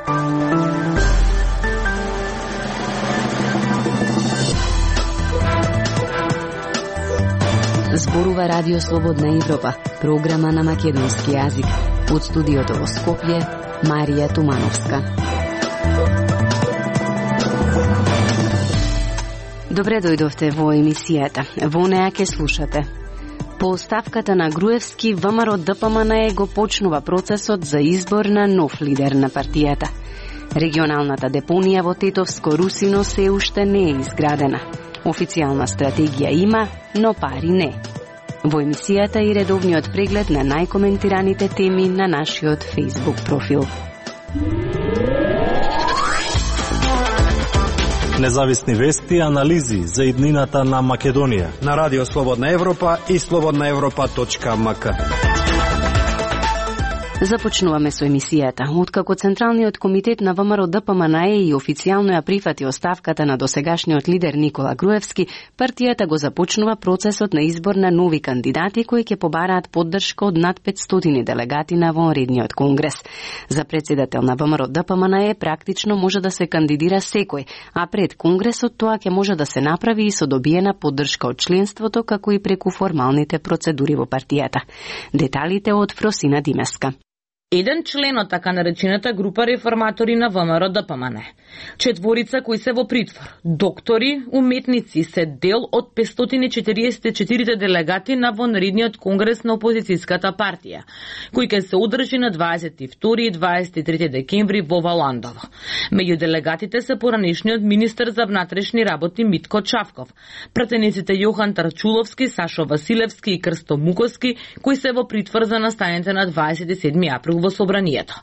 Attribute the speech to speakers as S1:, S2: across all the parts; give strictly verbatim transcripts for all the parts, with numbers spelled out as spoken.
S1: Зборува Радио Слободна Европа, програма на македонски јазик. Од студиото во Скопје, Марија Тумановска. Добре дојдовте во емисијата. Во неа ќе слушате. По оставката на Груевски, ВМРО Д П М Н Е го почнува процесот за избор на нов лидер на партијата. Регионалната депонија во Тетовско Русино се уште не е изградена. Официјална стратегија има, но пари не. Во емисијата и редовниот преглед на најкоментираните теми на нашиот Facebook профил.
S2: Независни вести и анализи за иднината на Македонија
S3: на Радио Слободна Европа и слободна европа точка м к.
S1: Започнуваме со емисијата. Откако Централниот комитет на ВМРО Д П М Н Е и официјално ја прифати оставката на досегашниот лидер Никола Груевски, партијата го започнува процесот на избор на нови кандидати кои ќе побараат поддршка од над петстотини делегати на вонредниот конгрес. За претседател на ВМРО Д П М Н Е практично може да се кандидира секој, а пред конгресот тоа ќе може да се направи и со добиена поддршка од членството, како и преку формалните процедури во партијата. Деталите од Фросина Димеска.
S4: Еден член од така наречената група реформатори на ВМРО Д П М Н Е. Четворица кои се во притвор. Доктори, уметници се дел од петстотини и четириесет и четири делегати на вонредниот конгрес на опозицијската партија, кој ќе се одржи на дваесет и втори и дваесет и трети декември во Валандово. Меѓу делегатите се поранешниот министер за внатрешни работи Митко Чавков, пратениците Јохан Тарчуловски, Сашо Василевски и Крсто Муковски, кои се во притвор за настаните на дваесет и седми април во собранието.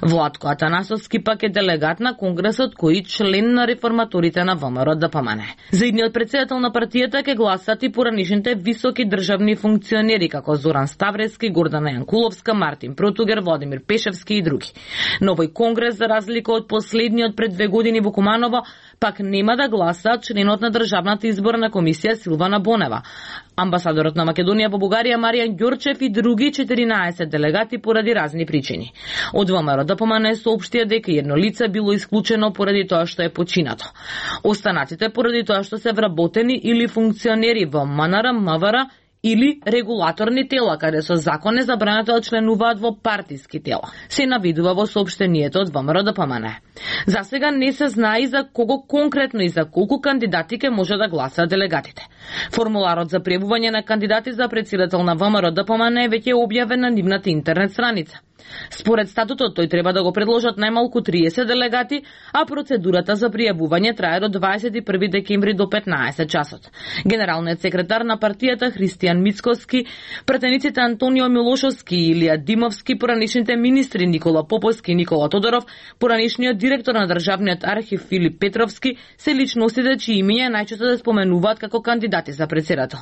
S4: Владко Атанасовски пак е делегат на конгресот кој член на реформаторите на ВМРО Д П М Н Е. За идниот претседател на партијата ќе гласат и поранешните високи државни функционери како Зоран Ставрески, Гордана Јанкуловска, Мартин Протугер, Владимир Пешевски и други. Но овој конгрес, за разлика од последниот пред две години во Куманово, пак нема да гласаат членот на Државната изборна комисија Силвана Бонева, амбасадорот на Македонија во Бугарија Маријан Ѓорчев и други четиринаесет делегати поради разни причини. Од ВМРО Д П М Н Е соопштија дека едно лице било исклучено поради тоа што е починато. Останатите поради тоа што се вработени или функционери во М Н Р, М В Р или регулаторни тела, каде со закон е забрането да членуваат во партиски тела. Се навидува во соопштението од ВМРО Д П М Н Е. За сега не се знае за кого конкретно и за колку кандидати ке може да гласаат делегатите. Формуларот за пријавување на кандидати за претседател на ВМРО Д П М Н Е веќе е објавен на нивната интернет страница. Според статутот, тој треба да го предложат најмалку триесет делегати, а процедурата за пријавување трае до дваесет и први декември до петнаесет часот. Генералниот секретар на партијата Христијан Мицкоски, пратениците Антонио Милошовски и Илија Димовски, поранешните министри Никола Поповски и Никола Тодоров, поранешниот директор на Државниот архив Филип Петровски се личностите чии имиња најчесто да споменуваат како кандидати за претседател.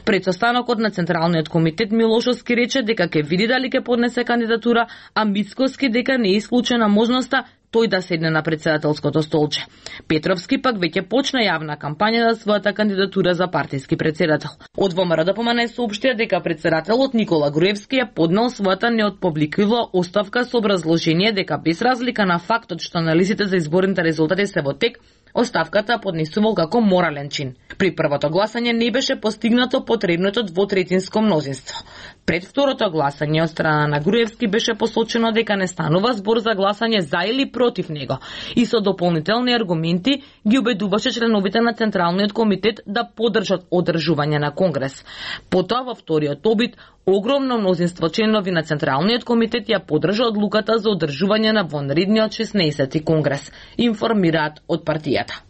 S4: Пред состанокот на Централниот комитет Милошовски рече дека ќе види дали ќе поднесе кандидатура, а Мицкоски дека не е исклучена можноста тој да седне на претседателското столче. Петровски пак веќе почна јавна кампања за својата кандидатура за партиски претседател. Од ВМРО Д П М Н Е соопштија дека претседателот Никола Груевски ја поднел својата неотпубликувала оставка со образложение дека без разлика на фактот што анализите за изборните резултати се во тек, оставката поднесувал како морален чин. При првото гласање не беше постигнато потребното двотретинско мнозинство. Пред второто гласање од страна на Груевски беше посочено дека не станува збор за гласање за или против него и со дополнителни аргументи ги убедуваше членовите на Централниот комитет да поддржат одржување на конгрес. Потоа во вториот обид огромно мнозинство членови на Централниот комитет ја поддржа одлуката за одржување на вонредниот шеснаесети конгрес, информираат од партијата.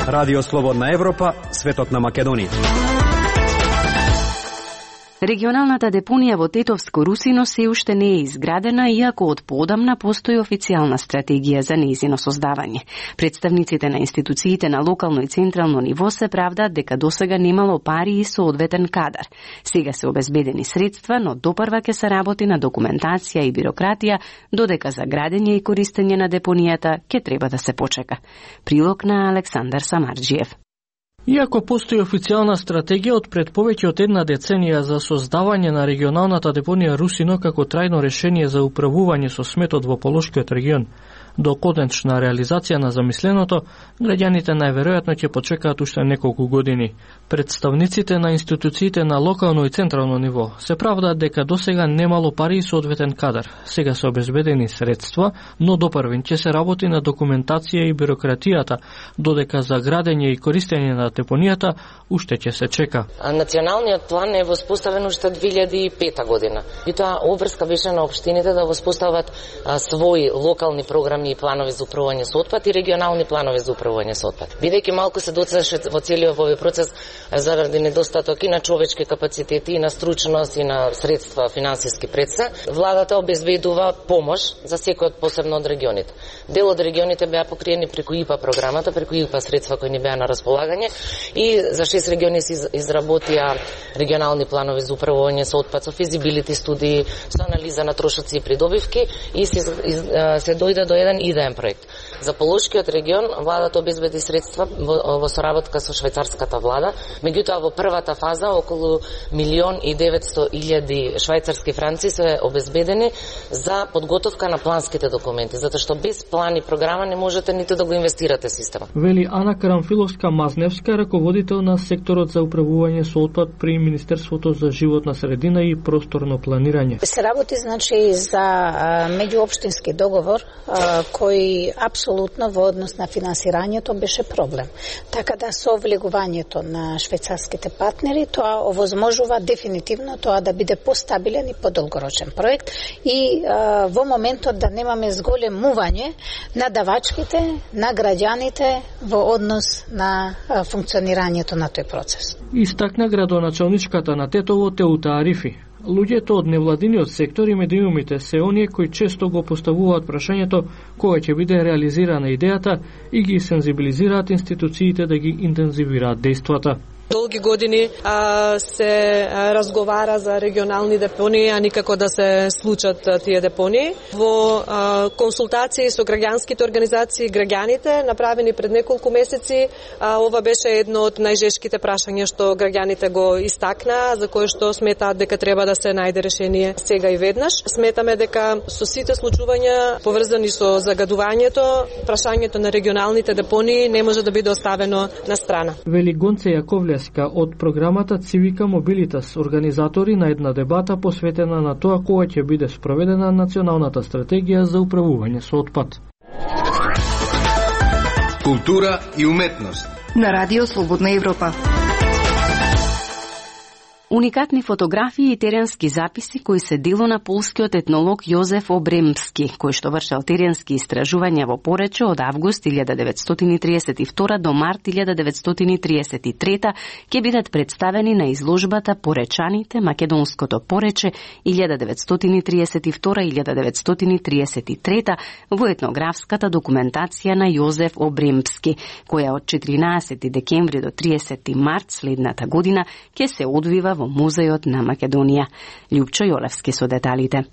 S3: Радио Слободна Европа, светот на Македонија.
S1: Регионалната депонија во Тетовско Русино се уште не е изградена, иако од поодамна постои официјална стратегија за нејзино создавање. Представниците на институциите на локално и централно ниво се правдаат дека досега немало пари и соодветен кадар. Сега се обезбедени средства, но допрва ќе се работи на документација и бирократија, додека за градење и користење на депонијата ќе треба да се почека. Прилог на Александар Самарџиев.
S5: Иако постои официјална стратегија од пред повеќе од една деценија за создавање на регионалната депонија Русино како трајно решение за управување со сметот во Полошкиот регион, до конечна реализација на замисленото, граѓаните најверојатно ќе почекаат уште неколку години. Представниците на институциите на локално и централно ниво се правдаат дека досега немало пари и соодветен кадар. Сега се обезбедени средства, но допрвен ќе се работи на документација и бирократијата, додека за градење и користење на депонијата уште ќе се чека.
S6: Националниот план е воспоставен уште две илјади и пета година. И тоа обврска беше на општините да воспостават а, своји локални програми и планови за управување со отпад и регионални планови за управување со отпад. Бидејќи малку се доцнеше во целиот овој процес заради недостаток и на човечки капацитети, и на стручност, и на средства, финансиски средства, владата обезбедува помош за секој од посебно од регионите. Дел од регионите беа покриени преку ИПА програмата, преку ИПА средства кои ни беа на располагање, и за шест региони се изработија регионални планови за управување со отпад, со физибилити студии, со анализа на трошоци и придобивки, и се, се дојде до еден идеен проект. За Полошкиот регион владата обезбеди средства во, во соработка со швајцарската влада, меѓутоа во првата фаза околу милион и деветсто илјади швајцарски франци се обезбедени за подготовка на планските документи, затоа што без план и програма не можете ниту да го инвестирате система.
S5: Вели Ана Карамфиловска-Мазневска, раководител на секторот за управување со отпад при Министерството за животна средина и просторно планирање.
S7: Се работи значи за меѓуопштински договор а, кој апсолутно во однос на финансирањето беше проблем. Така да со влегувањето на швајцарските партнери тоа овозможува дефинитивно тоа да биде постабилен и подолгорочен проект и а, во моментот да немаме зголемување на давачките, на граѓаните во однос на а, функционирањето на тој процес.
S5: Истакна градоначалничката на Тетово Теута Арифи. Луѓето од невладиниот сектор и медиумите се оние кои често го поставуваат прашањето кога ќе биде реализирана идејата и ги сензибилизираат институциите да ги интензивираат дејствата.
S8: Долги години а, се а, разговара за регионални депонии, а никако да се случат а, тие депонии. Во а, консултации со граѓанските организации и граѓаните, направени пред неколку месеци, а, ова беше едно од најжешките прашања што граѓаните го истакнаа, за кое што сметаат дека треба да се најде решение сега и веднаш. Сметаме дека со сите случувања поврзани со загадувањето, прашањето на регионалните депонии не може да биде оставено на страна.
S5: Вели Гонце Јаковле од програмата Цивика Мобилитас, организатори на една дебата посветена на тоа кога ќе биде спроведена националната стратегија за управување со отпад.
S9: Култура и уметност
S10: на Радио Слободна Европа.
S1: Уникатни фотографии и теренски записи кои се дело на полскиот етнолог Јозеф Обремски, кој што вршел теренски истражувања во Порече од август илјада деветстотини триесет и втора до март илјада деветстотини триесет и трета, ќе бидат представени на изложбата Поречаните, Македонското Порече илјада деветстотини триесет и втора до илјада деветстотини триесет и трета во етнографската документација на Јозеф Обремски, која од четиринаесети декември до триесети март следната година ќе се одвива во Музејот на Македонија. Љупчо Јолевски со деталите.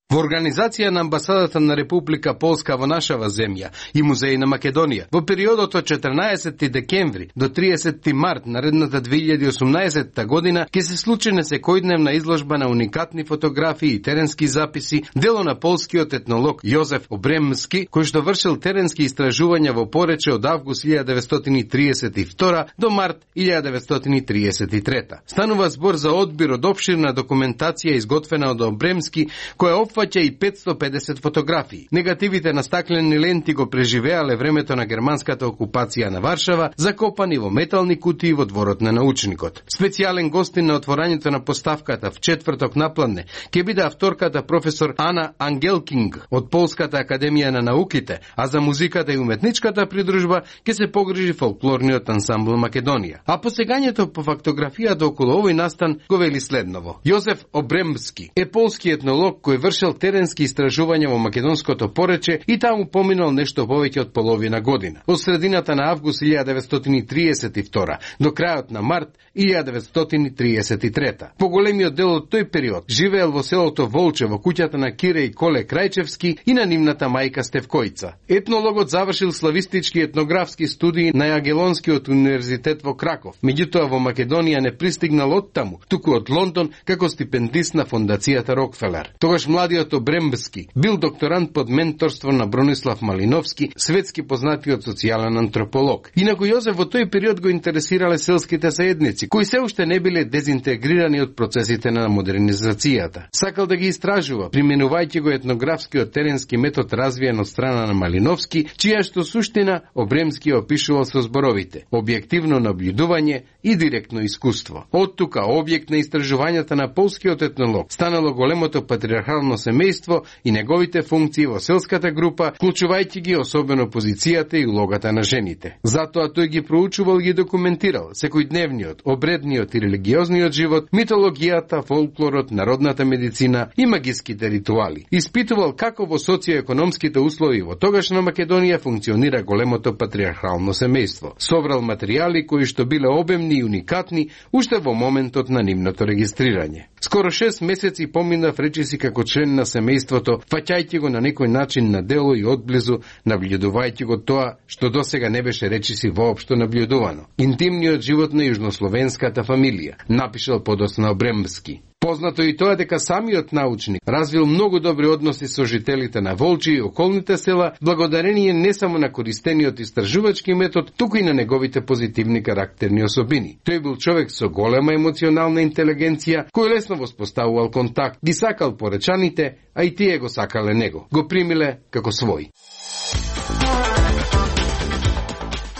S9: Во организација на Амбасадата на Република Полска во нашава земја и Музеј на Македонија, во периодот од четрнаесети декември до триесети март наредната две илјади и осумнаесетта година ќе се случи несекојдневна изложба на уникатни фотографии и теренски записи, дело на полскиот етнолог Јозеф Обремски, кој што вршил теренски истражувања во Порече од август илјада деветстотини триесет и втора до март илјада деветстотини триесет и трета. Станува збор за одбир од опширна документација изготвена од Обремски, која опфаќа и петсто педесет фотографии. Негативите на стаклени ленти го преживеале времето на германската окупација на Варшава, закопани во метални кутии во дворот на научникот. Специјален гостин на отворањето на поставката в четврток напладне ќе биде авторката професор Ана Ангелкинг од Полската академија на науките, а за музиката и уметничката придружба ќе се погрижи фолклорниот ансамбл Македонија. А посегањето по фактографијата околу овој настан го вели следново. Јозеф Обремски е полски етнолог кој вршил извршил теренски истражувања во македонското порече и таму поминал нешто повеќе од половина година. Од средината на август илјадесетстотини триесет и втора до крајот на март илјадесетстотини триесет и трета. Поголемиот дел од тој период живеел во селото Волче во куќата на Кире и Коле Крајчевски и на нивната мајка Стевкојца. Етнологот завршил славистички етнографски студии на Јагелонскиот универзитет во Краков. Меѓутоа во Македонија не пристигнал од таму, туку од Лондон како стипендист на фондацијата Рокфелер. Тогаш младиот Обрембски бил докторант под менторство на Бронислав Малиновски, светски познатиот социјален антрополог. Инаку Јозеф во тој период го интересирале селските заедници, кои се уште не биле дезинтегрирани од процесите на модернизацијата. Сакал да ги истражува, применувајќи го етнографскиот теренски метод развиен од страна на Малиновски, чија што суштина Обремски опишувал со зборовите: објективно наблюдување и директно искуство. Од тука објект на истражувањата на полскиот етнолог станало големото патриархално семејство и неговите функции во селската група, вклучувајќи ги особено позицијата и улогата на жените. Затоа тој ги проучувал и ги документирал секојдневниот, обредниот и религиозниот живот, митологијата, фолклорот, народната медицина и магиските ритуали. Испитувал како во социоекономските услови во тогашна Македонија функционира големото патриархално семејство. Собрал материјали кои што биле обемни и уникатни уште во моментот на нивното регистрирање. Скоро шест месеци поминав речиси како член на семејството, фаќајќи го на некој начин на дело и одблизу, наблюдувајќи го тоа што досега не беше речиси воопшто наблюдувано. Интимниот живот на јужнословенската фамилија, напишал подоцна Обремски. Познато и тоа дека самиот научник развил многу добри односи со жителите на Волчи и околните села, благодарение не само на користениот истражувачки метод, туку и на неговите позитивни карактерни особини. Тој бил човек со голема емоционална интелигенција, кој лесно воспоставувал контакт, ги сакал поречаните, а и тие го сакале него. Го примиле како свој.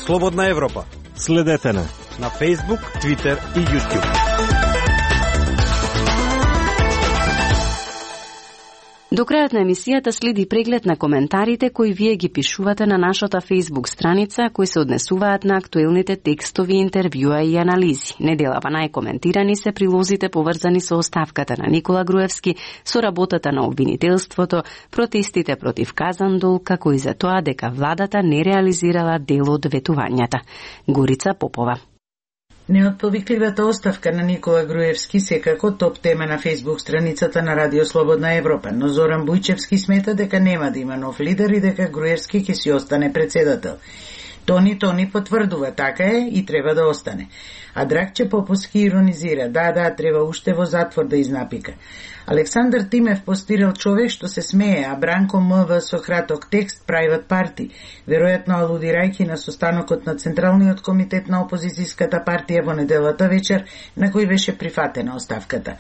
S3: Слободна Европа.
S2: Следете на
S3: на Facebook, Twitter и YouTube.
S1: До крајот на емисијата следи преглед на коментарите кои вие ги пишувате на нашата Facebook страница, кои се однесуваат на актуелните текстови, интервјуа и анализи. Неделава најкоментирани се прилозите поврзани со оставката на Никола Груевски, со работата на обвинителството, протестите против Казандол, како и за тоа дека владата не реализирала дел од ветувањата. Горица Попова.
S11: Неотповикливата оставка на Никола Груевски секако топ тема на Facebook страницата на Радио Слободна Европа, но Зоран Бујчевски смета дека нема да има нов лидер и дека Груевски ќе си остане председател. Тони Тони потврдува, така е и треба да остане. А Драгче Поповски иронизира, да, да, треба уште во затвор да изнапика. Александар Тимев постирал човек што се смее, а Бранко МВ со краток текст Private Party, веројатно алудирајќи на состанокот на Централниот комитет на опозицијската партија во неделата вечер, на кој беше прифатена оставката.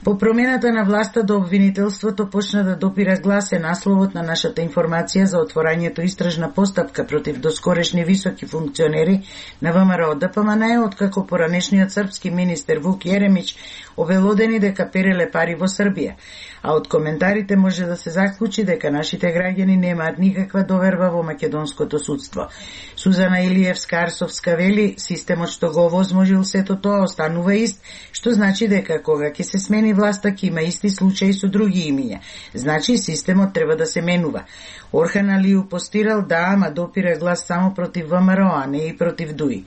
S11: По промената на власта до обвинителството почна да допира глас е насловот на нашата информација за отворањето истражна постапка против доскорешни високи функционери на ВМРО ДПМН, откако поранешниот српски министер Вук Јеремич обелодени дека переле пари во Србија, а од коментарите може да се заклучи дека нашите граѓани немаат никаква доверба во македонското судство. Сузана Илиевска-Арсовска вели, системот што го овозможил сето тоа останува ист, што значи дека кога ќе се смени власта ќе има исти случаи со други имиња. Значи системот треба да се менува. Орхан Алију постирал, да, ама допира глас само против ВМРО, а не и против ДУИ.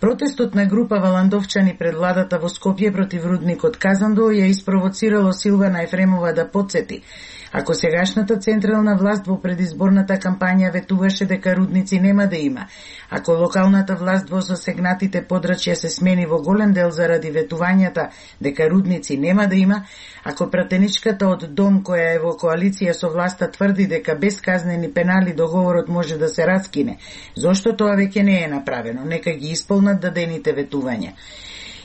S11: Протестот на група валандовчани пред владата во Скопје против рудникот Казандол ја испровоцирало Силвана Ефремова да потсети. Ако сегашната централна власт во предизборната кампања ветуваше дека рудници нема да има, ако локалната власт во засегнатите подрачја се смени во голем дел заради ветувањата дека рудници нема да има, ако пратеничката од Дом која е во коалиција со власта тврди дека без казнени пенали договорот може да се раскине, зошто тоа веќе не е направено? Нека ги исполнат дадените ветувања.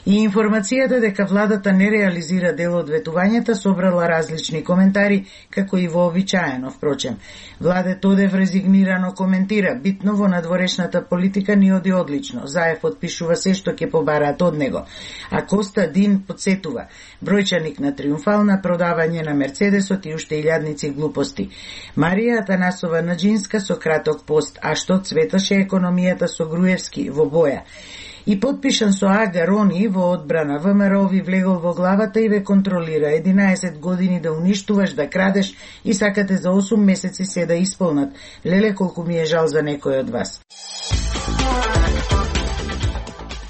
S11: И информацијата дека владата не реализира дел од ветувањата собрала различни коментари, како и вообичаено, впрочем. Владе Тодев резигнирано коментира, битно во надворешната политика ни оди одлично. Заев подпишува се што ќе побараат од него. А Коста Дин подсетува, бројчаник на триумфална продавање на Мерцедесот и уште илјадници глупости. Марија Атанасова Наџинска со краток пост, а што цветаше економијата со Груевски во боја. И подпишан со Ага Рони во одбрана, ВМРО ви влегол во главата и ве контролира. единаесет години да уништуваш, да крадеш и сакате за осум месеци се да исполнат. Леле, колку ми е жал за некој од вас.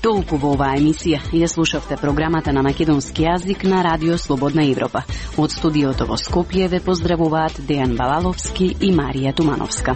S1: Толку во оваа емисија. Ја слушавте програмата на македонски јазик на Радио Слободна Европа. Од студиото во Скопје ве поздравуваат Дејан Балаловски и Марија Тумановска.